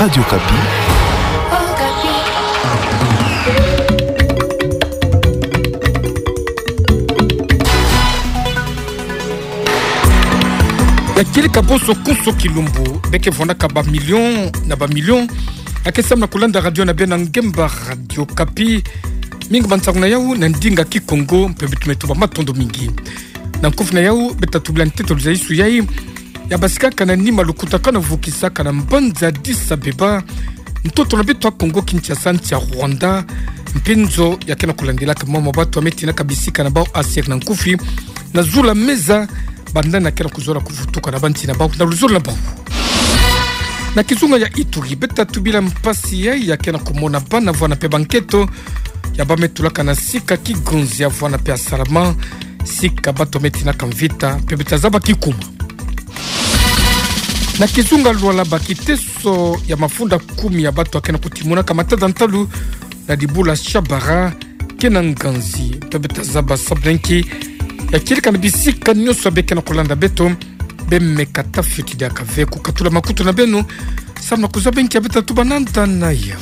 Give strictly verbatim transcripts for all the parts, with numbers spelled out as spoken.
Radio Okapi. Ya kieleka bonso konso kilumbu, bê ke vwandaka bamilion na bamilion ya ke sambana kulanda radio na bê na ngemba Radio Okapi. Mingi ba nsangu na yau na ndinga Kikongo, mpe beto me tuba matondo mingi. Na nkufi na yau, bê ta tubila ntetolo za Yesu yai, ya basikaka na nima lukutakanu vukisaka na mbanza Addis Abeba, ntoto na beto ya Kongo Kinshasa, nsi ya Rwanda, mpe nzo ya ke na kulandilaka mama batu ya me tinaka bisika na bau, aseri na nkufi, na zula meza, banda na ke na kuzola kuvutuka na bansi na bau, na luzolo na bau. Na kizunga ya Ituri, bê ta tubila mpasi yai ya ke na kumona bana vwanda mpe banketo, ya ba me tulaka na sika Kigonzi ya vwanda mpe ya Salama, sika batu ya me tinaka mvita, mpe bê ta zaba kikuma. Na kizunga Lualaba, kiteso ya mafunda kumi ya batu ya ke na kutimunaka matada ntalu na dibula Shabara, ke na nganzi, mpe bê ta zaba sabu na nki, ya kieleka na bisika nyonso bê ke na kulanda beto, bê me kata fioti diaka ve kukatula makutu na beno, sambana kuzaba nki ya bê ta tuba nanda na yau.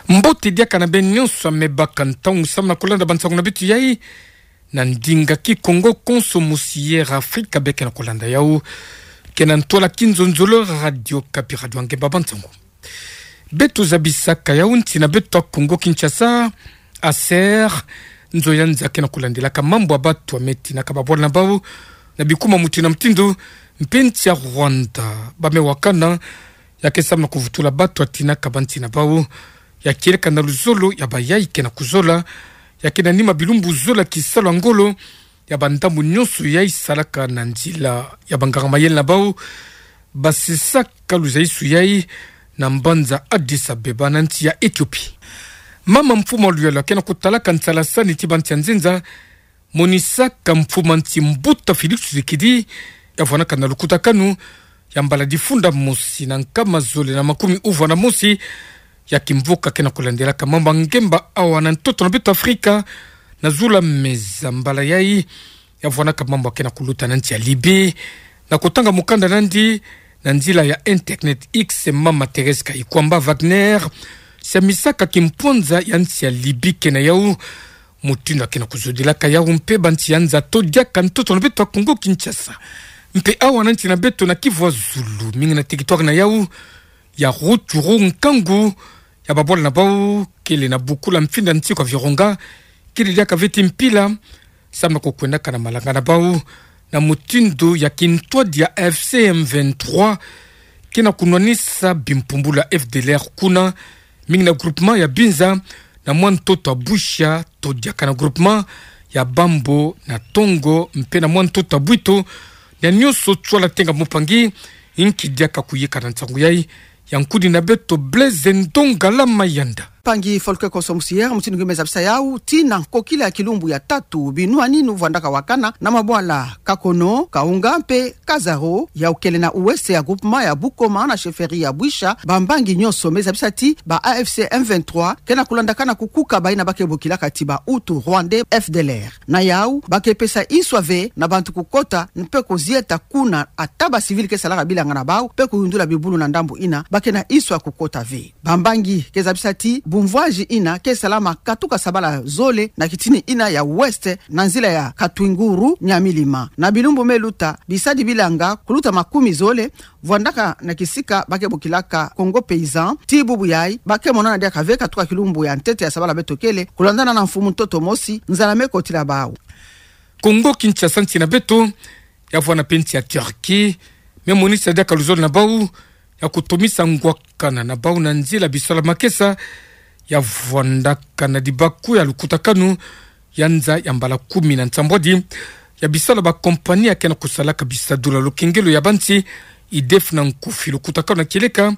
Mbote diaka na bê nyonso ya me baka ntangu sambana kulanda ba nsangu na beto yai, na ndinga Kikongo konso mosi Air Africa bê ke na kulanda yau. Ke na ntwala kinzonzolo Radio Okapi, radio ya ngemba ba nsangu. Beto zabisaka yau nsi na beto ya Kongo Kinshasa, aseri, nzo ya nza ke na kulandilaka mambu ya batu ya me tinaka babwala na bau, na bikuma mutindu na mutindu, mpe nsi ya Rwanda, ba me wakana, ya ke sambana kuvutula batu ya tinaka bansi na bau, ya kieleka na luzolo ya bayai ke na kuzola, ya ke na nima bilumbu zola kisalu ya ngolo, ya bandambu nyonso yai salaka na nzila ya banganga mayele na bau, basisaka luzaisu yai na mbanza Addis Abeba na nsi ya Ethiopie. Mama mfumu ya luyalu ya ke na kutalaka nsalasani ti bansi ya nzenza, monisaka mfumu ya nsi Mbuta Félix Tshisekedi, ya vwandaka na lukutakanu ya mbala difunda mosi na nkama zole na makumi uvwa na mosi, ya kimvuka ke na kulandilaka mambu ya ngemba awa na ntoto na beto Afrika, na zula meza mbala yai, ya vwandaka mambu ya ke na kuluta na nsi ya Libye. Na kutanga mukanda nandi na nzila ya internet X, mama Thérèse Kayikwamba Wagner, siamisaka kimpwanza ya nsi ya Libye ke na yau, mutindu ya ke na kuzodilaka yau mpe bansi ya nza to diaka ntoto na beto ya Kongo Kinshasa. Mpe awa na nsi na beto na Kivu ya zulu, mingi na territoire na yau, ya Rutshuru, nkangu ya babwala na bau kele na bukula mfinda nsi kwa Virunga, kele diaka ve ti mpila, sambana kukwendaka na malanga na bau, na mutindu ya kintwadi ya A F C M vingt-trois ke na kunwanisa bimpumbulu ya F D L R kuna, mingi na groupement ya Binza, na mwa ntoto ya Bwisha, to diaka na groupement ya Bambo na Tongo, mpe na mwa ntoto ya Bwito, na nyonso tshwala tenga mupangi, nki diaka kuyika na nsangu yai, ya nkuni na beto Blaise Ndongala Mayanda. Mpangi Folke Koso Musier, mutindu ngi me zabisa yau, tii na nkokila ya kilumbu ya tatu, binwaninu vwandaka wakana na mabwala Kakono, Kaunga mpe Kazaro, yau kele na ouest ya groupement ya Bukoma na chefferie ya Bwisha, bambangi nyonso me zabisa ti ba A F C M vingt-trois ke na kulandakana kukuka baina ba ke bokilaka ti ba Hutu Rwandais F D L R. Na yau, ba ke pesa inswa ve na bantu kukota mpe kuzieta kuna, ata ba civil ke salaka bilanga na bau, mpe kuyundula bibulu na ndambu ina ba ke na inswa kukota ve. Bambangi ke zabisa ti bumvwazi ina ke salama katuka sabala zole na kitini ina ya ouest, na nzila ya Katwinguru Nyamilima. Na bilumbu me luta, bisadi bilanga kuluta makumi zole vwandaka na kisika ba ke bokilaka Congo Paysan, tii bubu yai ba ke monana diaka ve katuka kilumbu ya ntete ya sabala beto kele, kulandana na mfumu ntoto mosi, nzala me kotila bau. Congo Kinshasa, nsi na beto, ya vwanda mpe nsi ya Turquie, me monisa diaka luzolo na bau ya kutomisa ngwakana na bau na nzila bisalu ya makesa, ya vwandaka na dibaku ya lukutakanu ya nza ya mbala kumi na nsambwadi ya bisalu ya ba compagnie ya ke na kusalaka bisadulu ya lukengelo ya bansi, IDEF na nkufi. Lukutakanu ya kieleka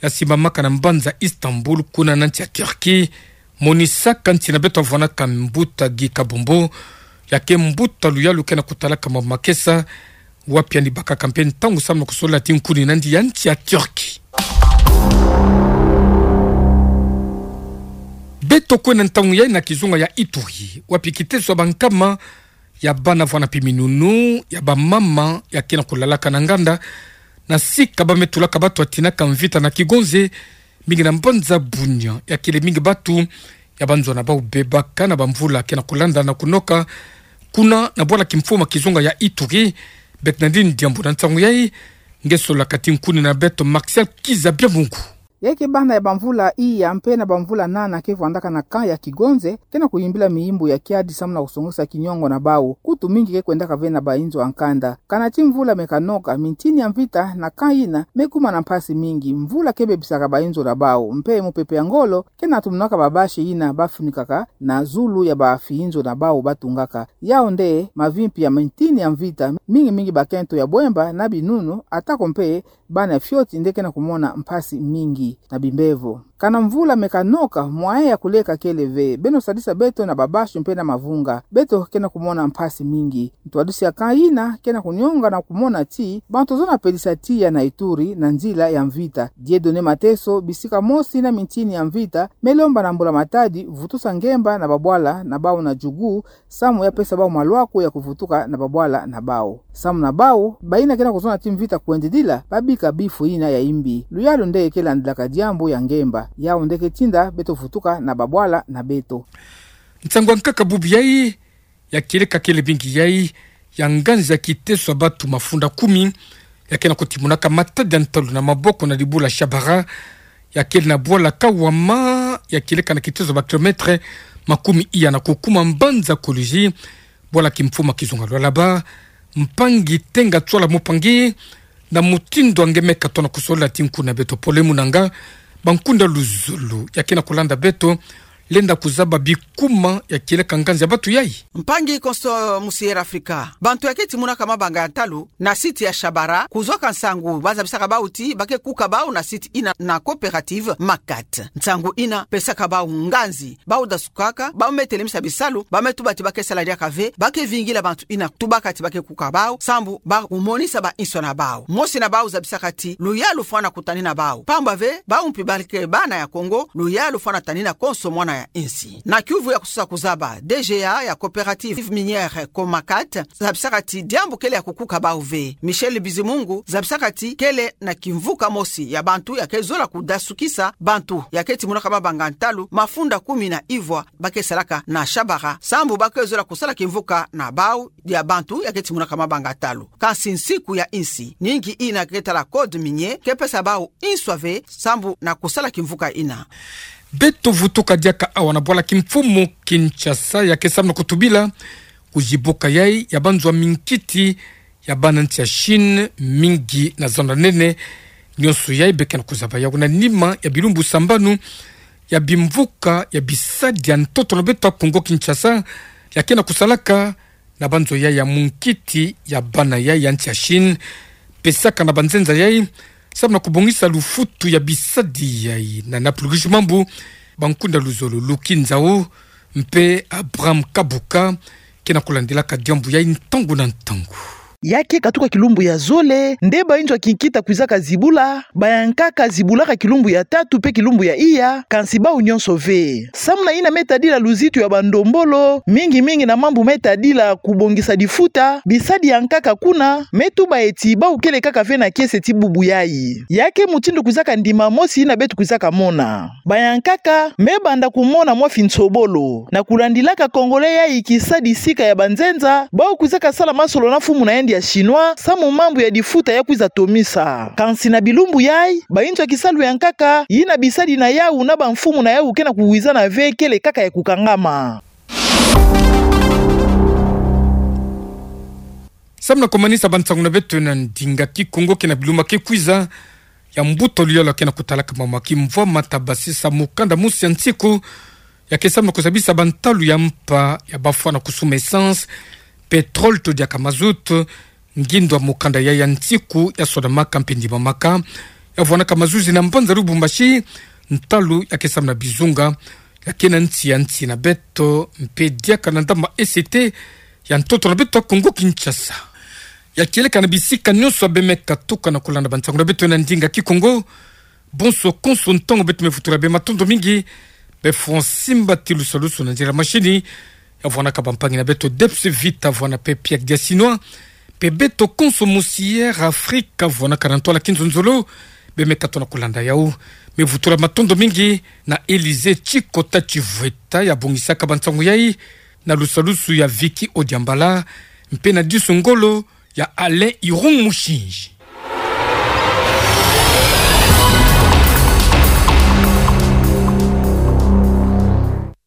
ya simbamaka na mbanza Istanbul, kuna na nsi ya Turquie, monisaka nsi na beto ya vwandaka Mbuta Guy Kabombo, ya ke mbuta luyalu ke na kutalaka mambu makesa, wapi yandi bakaka mpe ntangu samu na kusola ti nkuni nandi ya nsi ya Turquie. Beto kwenda ntangu yai na kizunga ya Ituri, wapi kiteso ya bankama ya bana vwanda pi minunu, ya bamama, ya ke na kulalaka na nganda, na sika ba me tulaka bato ya tinaka mvita na Kigonze, mingi na mbanza Bunia, ya kele mingi bato ya banzona bau bebaka na bamvula ke na kulanda na kunoka, kuna na bwala kimfumu ya kizunga ya Ituri. Bernardine Diambu na nsangu yai, nge sola kati nkuni na beto Martial Kiza Biamungu. Ya ke bana ya bamvula iya mpe na bamvula nana ke vwandaka na camp ya Kigonze, ke na kuyimbila miyimbu ya kiadi samu na kusongesa kiniongo na bau. Kutu mingi ke kwendaka ve na bainzo ya nkanda. Kana ti mvula me kanoka, mintini ya mvita na camp ina me kuma na mpasi mingi. Mvula ke bebisaka bainzo na bau, mpe mupepe ya ngolo ke na tumunaka babashi ina ba funikaka na zulu ya bafiinzo na bau ba tungaka. Yau nde mavimpi ya mintini ya mvita, mingi mingi bakento ya bwemba na binunu, atako mpe bana fioti nde ke na kumona mpasi mingi na bimbevo. Kana mvula me kanoka, mwaye ya kuleka kele ve, beno sadisa beto na babashi mpe na mavunga, beto ke na kumona mpasi mingi. Ntwadisi ya camp ina ke na kunionga na kumona ti bantu zozo na pelisa tiya na Ituri na nzila ya mvita. Dieudonné Mateso, bisika mosi na mintini ya mvita, me lomba na mbula matadi vutusa ngemba na babwala na bau na Djugu, samu ya pesa bau malwaku ya kuvutuka na babwala na bau. Samu na bau, baina ke na kuzona ti mvita kwendidila, babika bifu ina ya imbi. Luyalu nde ke landilaka diambu ya ngemba. Yau nde ke tinda beto vutuka na babwala na beto. Nsangu ya nkaka bubu yai, ya kieleka kele bingi yai, ya nganzi ya kiteso ya bato mafunda kumi, ya ke na kutimunaka matadi ya ntalu na maboko na dibula Shabara, ya kele na bwala Kawama, ya kieleka na kiteso ba kilomètre makumi iya na kukuma mbanza Kolwezi, bwala kimfumu ya kizunga Lualaba. Mpangi Tenga Tswala Mupangi, na mutindu nge me katona kusola ti nkuni na beto Pole Munanga, bankunda luzolo ya ke na kulanda beto, lenda kuzaba bikuma ya kieleka nganzi ya bato yai. Mpangi Konso Musier Afrika, bantu ya ke timunaka mabanga ya ntalu na site ya Shabara, kuzwaka nsangu ba zabisaka bau ti ba ke kuka bau na site ina na coopérative Makat. Nsangu ina pesaka bau nganzi, bau dasukaka, bau me telemisa bisalu, ba me tuba ti ba ke sala diaka ve, ba ke vingila bantu ina tubaka ti ba ke kuka bau, sambu ba kumonisa bainso na bau. Mosi na bau zabisaka ti luyalu fwana kutanina bau. Pamba ve, bau mpi ba ke bana ya Kongo, luyalu fwana tanina konso mwana ya insi. Na kiuvu ya kusosa kuzaba, D G A ya coopérative minière Comacat, zabisaka ti diambu kele ya kukuka bau ve. Michel Bizimungu, zabisaka ti kele na kimvuka mosi ya bantu ya ke zola kudasukisa bantu ya ke timunaka mabanga ntalu, mafunda kumi na ivwa, ba ke salaka na Shabara, sambu ba ke zola kusala kimvuka na bau ya bantu ya ke timunaka mabanga ntalu. Kansi nsiku ya insi, ningi ina ke tala code minier, ke pesa bau inswa ve, sambu na kusala kimvuka ina. Beto vutuka diaka awa na bwala kimfumu Kinshasa, ya ke samu na kutubila kuzibuka yai ya banzo ya minkiti ya bana nsi ya Chine, mingi na zando nene. Nyonso yai be ke na kuzaba yau na nima ya bilumbu sambanu ya bimvuka ya bisadi ya ntoto na beto ya Kongo Kinshasa, ya ke na kusalaka na banzo yai ya munkiti ya bana yai ya nsi ya Chine, pesaka na banzenza yai, samu na kubongisa lufutu ya bisadi yai. Na Naplugush Mambu, bankunda luzolo Luki Nzau mpe Abraham Kabuka ke na kulandilaka diambu yai ntangu na ntangu. Ya ke katuka kilumbu ya zole nde bainzo ya kinkita kwizaka zibula, bayankaka zibulaka kilumbu ya tatu mpe kilumbu ya iya, kansi bau nyonso ve. Samu na ina me tadila luzitu ya bandombolo, mingi mingi na mambu me tadila kubongisa difuta, bisadi ya nkaka kuna me tuba ti bau kele kaka ve na kiese ti bubu yai. Ya ke mutindu kwizaka ndima mosi ina beto kwizaka mona. Bayankaka me banda kumona mwa finsobolo. Na kulandilaka Congolais yai kisadi sika ya banzenza, bau kwizaka sala masolo na mfumu na yandi ya Chinois, samu mambu ya difuta ya kwiza tomisa. Kansi na bilumbu yai, bainzo ya kisalu ya nkaka, ina bisadi na yau na bamfumu na yau ke na kuwizana ve kele kaka ya kukangama. Samu na kumanisa bansangu na beto na ndinga Kikongo, ke na bilumbu ke kwiza, ya mbuta luyalu ke na kutalaka mama kimvwama ta basisa mukanda mosi ya nsiku, ya ke samu na kuzabisa bantalu ya mpa ya bafwana kusuma essence, pétrole to diaka mazout. Ngindo ya mukanda yai ya nsiku ya sodamaka mpe ndimamaka, ya vwanaka mazuzi na mbanza Lubumbashi, ntalu ya ke samu na bizunga ya ke na nsi ya nsi na beto, mpe diaka na ndama E C T ya ntoto na beto ya Kongo Kinshasa. Ya kieleka na bisika nyonso ya be me katuka na kulanda bansangu na beto na ndinga Kikongo. Bonso konso ntangu beto me vutula be, matondo mingi. Be Francis Mbati Lusalusu na nzila mashini, Ya vwanaka bampangi na beto Debs Vita vwana pe Piak dia Sinwa, pe beto konso musi Air Afrika vwanaka na ntwala Kinzonzolo, bemeka tona kulanda yau. Mevutula matondo mingi na Elysée Tchikota Tchivweta ya bongisaka bansangu yai, na lusalusu ya Vicky Odiambala, mpe na disu ngolo ya Alain Irung Mushinji.